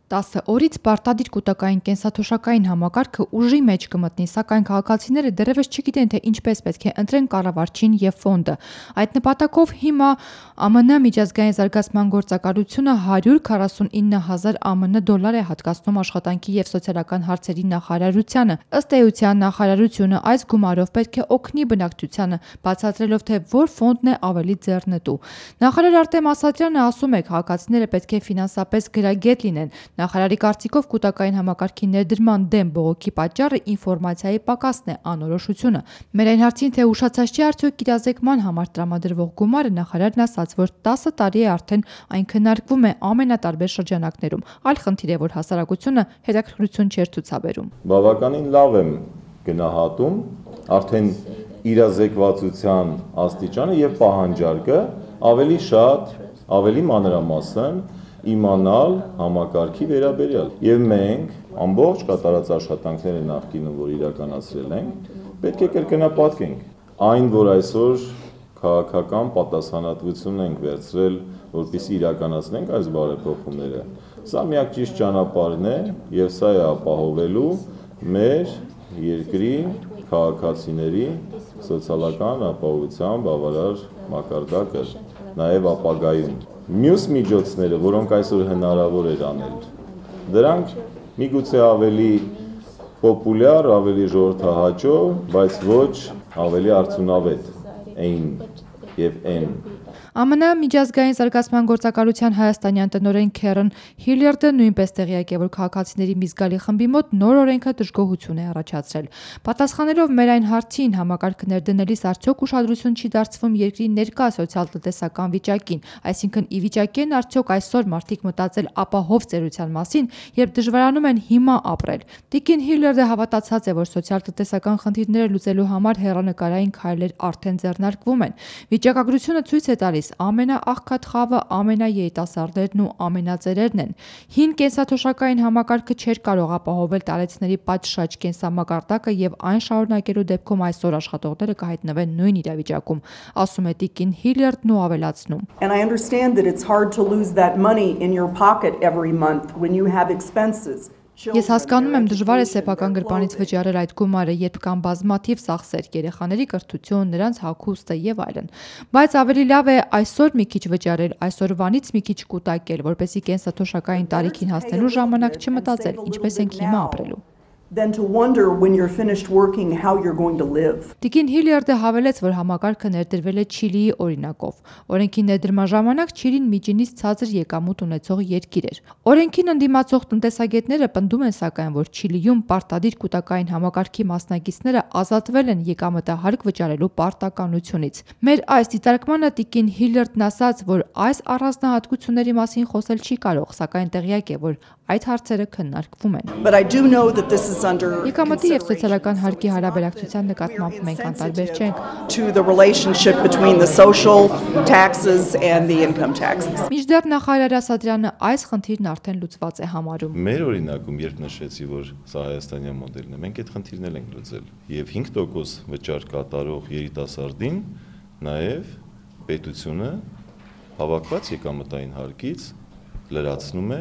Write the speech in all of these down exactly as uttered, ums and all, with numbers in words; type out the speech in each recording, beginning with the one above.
տասը օրից պարտադիր կուտակային կենսաթոշակային համակարգը ուժի մեջ կմտնի, սակայն քաղաքացիները դեռևս չգիտեն, թե ինչպես պետք է ընտրեն կառավարչին և ֆոնդը։ Այդ նպատակով հիմա ԱՄՆ միջազգային զարգացման գործակալությունը հարյուր քառասունինը հազար ԱՄՆ դոլար է հատկացնում աշխատանքի և սոցիալական հարցերի նախարարությանը։ Ըստ էության նախարարությունը այս գումարով պետք է օգնի բնակչությանը, բացատրելով, թե որ ֆոնդն է ավելի ձեռնտու։ Նախարար Արտեմ Ասատրյանը ասում է, քաղաքացիները պետք է ֆինանսապես գրագետ լինեն։ Նախարարի կարծիքով կուտակային համակարգի ներդրման դեմ բողոքի պատճառը ինֆորմացիայի պակասն է, անորոշությունը։ Մեր այն հարցին, թե ուշացած չի արդյոք իրազեկման համար տրամադրվող գումարը, նախարարն ասաց, որ տասը տարի է արդեն այն քննարկվում է ամենատարբեր շրջանակներում։ Այլ խնդիր է, որ հասարակությունը հետաքրքրություն չէր ցուցաբերում։ Բավականին լավ եմ գնահատում արդեն իրազեկվածության աստիճանը եւ պահանջարկը ավելի շատ, ավելի մանրամասն իմանալ համակարգի վերաբերյալ եւ մենք ամբողջ կատարած աշխատանքները նախկինում, որ իրականացրել ենք, պետք է կրկնապատկենք այն, որ այսօր քաղաքական պատասխանատվություն ենք վերցրել, որպեսզի իրականացնենք այս բարեփոխումները։ Սա միակ ճիշտ ճանապարհն է եւ սա է ապահովելու մեր երկրի քաղաքացիների սոցիալական ապահովության բավարար մակարդակը նաեւ ապագայում։ Մյուս միջոցները, որոնք այսօր հնարավոր էր անել, դրանք միգուցե ավելի պոպուլյար, ավելի ժողովրդահաճո, բայց ոչ ավելի արդյունավետ էին եւ են։ ԱՄՆ միջազգային զարգացման գործակալության հայաստանյան տնօրեն Քերեն Հիլյարդը նույնպես տեղյակ է, որ քաղաքացիների մի զգալի խմբի մոտ նոր օրենքը դժգոհություն է առաջացրել։ Պատասխանելով մեր այն հարցին, համակարգը ներդնելիս արդյոք ուշադրություն չի դարձվում երկրի ներկա սոցիալ-տնտեսական վիճակին, այսինքն ի վիճակի են արդյոք այսօր մարդիկ մտածել ապահով ծերության մասին, երբ դժվարանում են հիմա ապրել։ Տիկին Հիլյարդը հավատացած է, որ սոցիալ-տնտեսական խնդիրները լուծելու համար հեռանկարային քայլեր արդեն ձեռնարկվում են։ Վիճակագրությունը ցույց է տալիս, ամենաաղքատ խավը ամենաերիտասարդներն ու ամենածերերն են։ Հին կենսաթոշակային համակարգը չէր կարող ապահովել տարեցների պատշաճ կենսամակարդակը եւ այն շարունակելու դեպքում այսօր աշխատողները կհայտնվեն նույն իրավիճակում, ասում է տիկին Հիլյարդն ու ավելացնում. And I understand that it's hard to lose that money in your pocket every month when you have expenses. Ես հասկանում եմ, դժվար է սեփական գրպանից վճարել այդ գումարը, երբ կան բազմաթիվ ծախսեր, երեխաների կրթություն, նրանց հագուստը եւ այլն։ Բայց ավելի լավ է այսօր մի քիչ վճարել, այսօրվանից մի քիչ կուտակել, որպեսզի կենսաթոշակային տարիքին հասնելու ժամանակ չմտածել, ինչպես ենք հիմա ապրելու։ Than to wonder when you're finished working how you're going to live. Տիկին Հիլյարդը հավելեց, որ համակարգը ներդրվել է Չիլիի օրինակով։ Օրենքի ներդրման ժամանակ Չիլին միջինից ցածր եկամուտ ունեցող երկիր էր։ Օրենքին ընդդիմացող տնտեսագետները պնդում են սակայն, որ Չիլիում պարտադիր կուտակային համակարգի մասնակիցները ազատվել են եկամտահարկ վճարելու պարտականությունից։ Մեր այս դիտարկմանը տիկին Հիլյարդն ասաց, որ այս առանձնահատկությունների մասին խոսել չի կարող, սակայն տեղյակ է, որ այդ հարցերը քննարկվում են։ But I do know that this is under Եկամտի եւ սոցիալական հարկի հարաբերակցության նկատմամբ մենք անտարբեր չենք to the relationship between the social taxes and the income taxes. Միջդեռ նախարար Ասատրյանը այս խնդիրն արդեն լուծված է համարում։ Մեր օրինակում երբ նշեցի, որ սա հայաստանյան մոդելն է, մենք այդ խնդիրն ենք լուծել եւ հինգ տոկոս վճար կատարող երիտասարդին նաեւ պետությունը հավաքված եկամտային հարկից լրացնում է,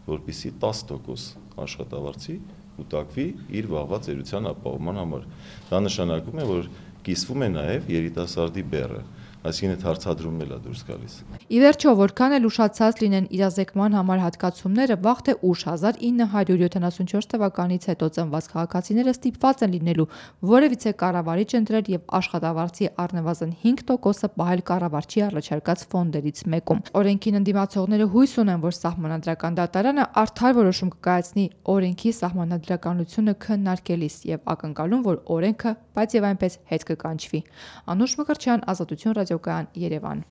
որպեսզի տասը տոկոս աշխատավարձի կուտակվի իր վաղվա ծերության ապահովման համար։ Դա նշանակում է, որ կիսվում է նաև երիտասարդի բեռը, այսինքն այդ հարցադրումն էլ է դուրս գալիս։ Ի վերջո, որքան էլ ուշացած լինեն իրազեկման համար հատկացումները, վաղ թե ուշ հազար ինը հարյուր յոթանասունչորս թվականից հետո ծնված քաղաքացիները ստիպված են լինելու որևիցե կառավարիչ ընտրել եւ աշխատավարձի առնվազն հինգ տոկոսը պահել կառավարչի առաջարկած ֆոնդերից մեկում։ Օրենքին ընդդիմացողները հույս ունեն, որ սահմանադրական դատարանը արդար որոշում կկայացնի օրենքի սահմանադրականությունը քննարկելիս եւ ակնկալում, որ օրենքը, բայց եւ այնպես հետ կկանչվի։ Անուշ Մկրտչյան, Ազատություն ռադիոկայան, Երևան։